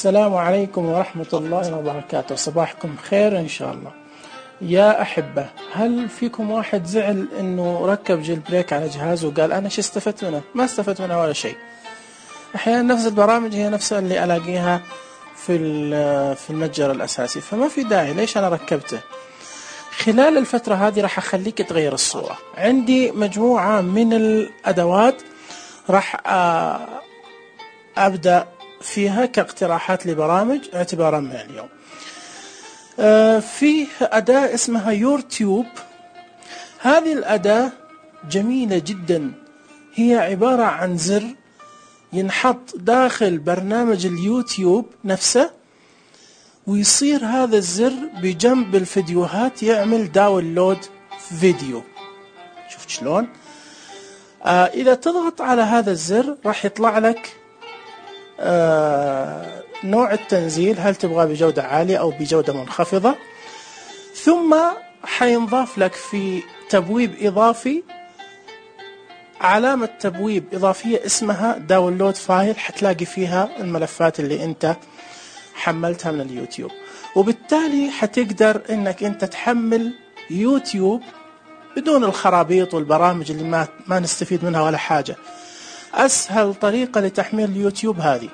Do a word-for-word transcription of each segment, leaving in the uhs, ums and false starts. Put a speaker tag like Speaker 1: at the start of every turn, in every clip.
Speaker 1: السلام عليكم ورحمة الله وبركاته. صباحكم خير إن شاء الله. يا أحبة، هل فيكم واحد زعل إنه ركب جيل بريك على جهازه وقال أنا شو استفدت منه؟ ما استفدت منه ولا شيء. أحيانا نفس البرامج هي نفسها اللي ألاقيها في في المتجر الأساسي، فما في داعي ليش أنا ركبته. خلال الفترة هذه راح أخليك تغير الصورة. عندي مجموعة من الأدوات راح أبدأ فيها كاقتراحات لبرامج اعتبارا من اليوم. في أداة اسمها يورتيوب. هذه الأداة جميلة جدا، هي عبارة عن زر ينحط داخل برنامج اليوتيوب نفسه، ويصير هذا الزر بجنب الفيديوهات يعمل داونلود فيديو. شفت شلون؟ آه إذا تضغط على هذا الزر راح يطلع لك آه نوع التنزيل، هل تبغى بجودة عالية أو بجودة منخفضة، ثم حينضاف لك في تبويب إضافي علامة تبويب إضافية اسمها داونلود فايل، حتلاقي فيها الملفات اللي أنت حملتها من اليوتيوب، وبالتالي حتقدر أنك أنت تحمل يوتيوب بدون الخرابيط والبرامج اللي ما, ما نستفيد منها ولا حاجة. أسهل طريقة لتحميل اليوتيوب هذه،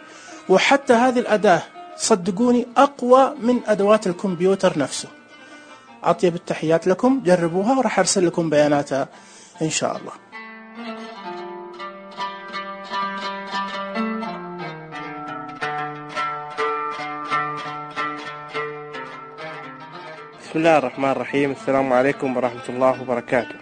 Speaker 1: وحتى هذه الأداة صدقوني أقوى من أدوات الكمبيوتر نفسه. أطيب التحيات لكم، جربوها وراح أرسل لكم بياناتها إن شاء الله.
Speaker 2: بسم الله الرحمن الرحيم. السلام عليكم ورحمة الله وبركاته.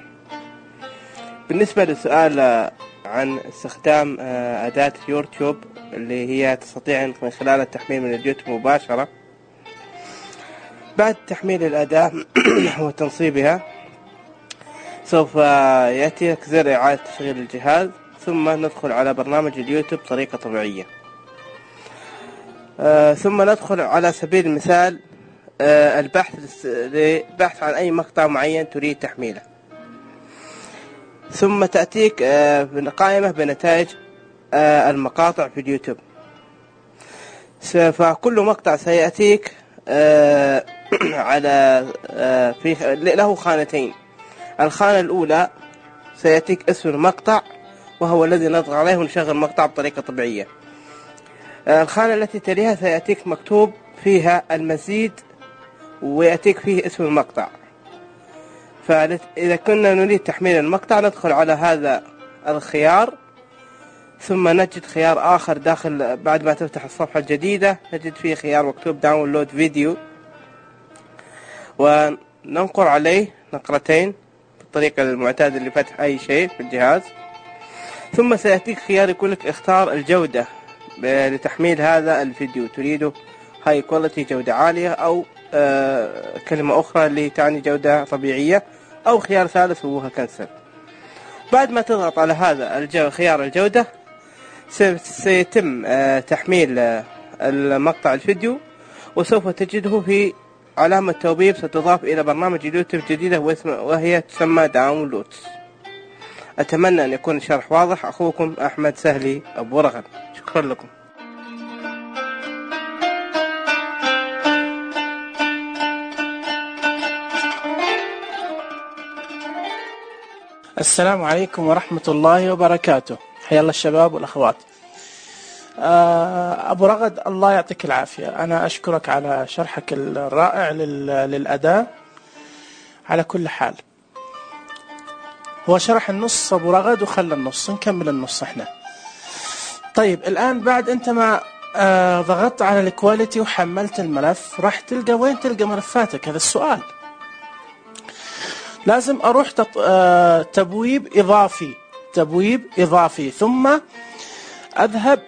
Speaker 2: بالنسبة للسؤال عن استخدام أداة يورتيوب اللي هي تستطيع من خلال التحميل من اليوتيوب مباشرة، بعد تحميل الأداة وتنصيبها سوف يأتي لك زر إعادة تشغيل الجهاز، ثم ندخل على برنامج اليوتيوب بطريقة طبيعية. ثم ندخل على سبيل المثال البحث لبحث عن أي مقطع معين تريد تحميله، ثم تأتيك قائمة بنتائج المقاطع في اليوتيوب. فكل مقطع سيأتيك على في له خانتين. الخانة الأولى سيأتيك اسم المقطع وهو الذي نضغط عليه ونشغل مقطع بطريقة طبيعية. الخانة التي تليها سيأتيك مكتوب فيها المزيد ويأتيك فيه اسم المقطع. فإذا كنا نريد تحميل المقطع ندخل على هذا الخيار، ثم نجد خيار آخر داخل بعد ما تفتح الصفحة الجديدة، نجد فيه خيار مكتوب داونلود فيديو، وننقر عليه نقرتين بالطريقة المعتادة لفتح أي شيء في الجهاز. ثم سيأتيك خيار يقول لك اختار الجودة لتحميل هذا الفيديو، تريده هاي كواليتي جودة عالية، أو آه كلمة أخرى اللي تعني جودة طبيعية، أو خيار ثالث هو كنسل. بعد ما تضغط على هذا الجو خيار الجودة سيتم آه تحميل آه المقطع الفيديو، وسوف تجده في علامة توبيب ستضاف إلى برنامج اليوتيوب جديدة وهي تسمى داونلودز. أتمنى أن يكون الشرح واضح. أخوكم أحمد سهلي أبو رغد، شكرا لكم.
Speaker 1: السلام عليكم ورحمة الله وبركاته. حيا الله الشباب والأخوات. أبو رغد، الله يعطيك العافية. أنا أشكرك على شرحك الرائع للأداة. على كل حال، هو شرح النص أبو رغد وخلى النص، نكمل النص احنا. طيب الآن بعد أنت ما ضغطت على الكواليتي وحملت الملف، راح تلقى وين تلقى ملفاتك؟ هذا السؤال. لازم أروح تبويب إضافي تبويب إضافي ثم أذهب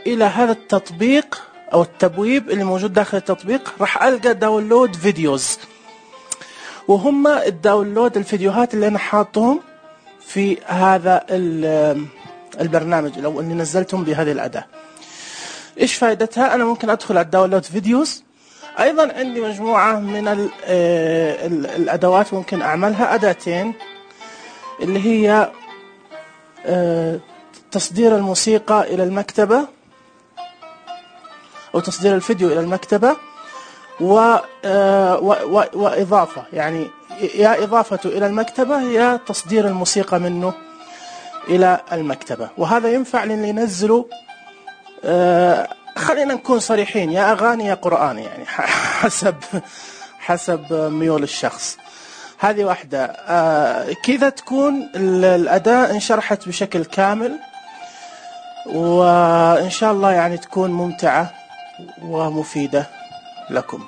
Speaker 1: إلى هذا التطبيق أو التبويب اللي موجود داخل التطبيق. راح ألقى داونلود فيديوز، وهم الداونلود الفيديوهات اللي أنا حاطهم في هذا البرنامج أو اللي نزلتهم بهذه الأداة. إيش فائدتها؟ أنا ممكن أدخل على الداونلود فيديوز. أيضا عندي مجموعة من الأدوات ممكن أعملها، أداتين اللي هي تصدير الموسيقى إلى المكتبة أو تصدير الفيديو إلى المكتبة، و... و... وإضافة، يعني يا إضافته إلى المكتبة يا تصدير الموسيقى منه إلى المكتبة. وهذا ينفع للي ينزلوا آه خلينا نكون صريحين، يا أغاني يا قرآن، يعني حسب حسب ميول الشخص. هذه واحدة. آه كذا تكون الأداة انشرحت بشكل كامل، وإن شاء الله يعني تكون ممتعة ومفيدة لكم.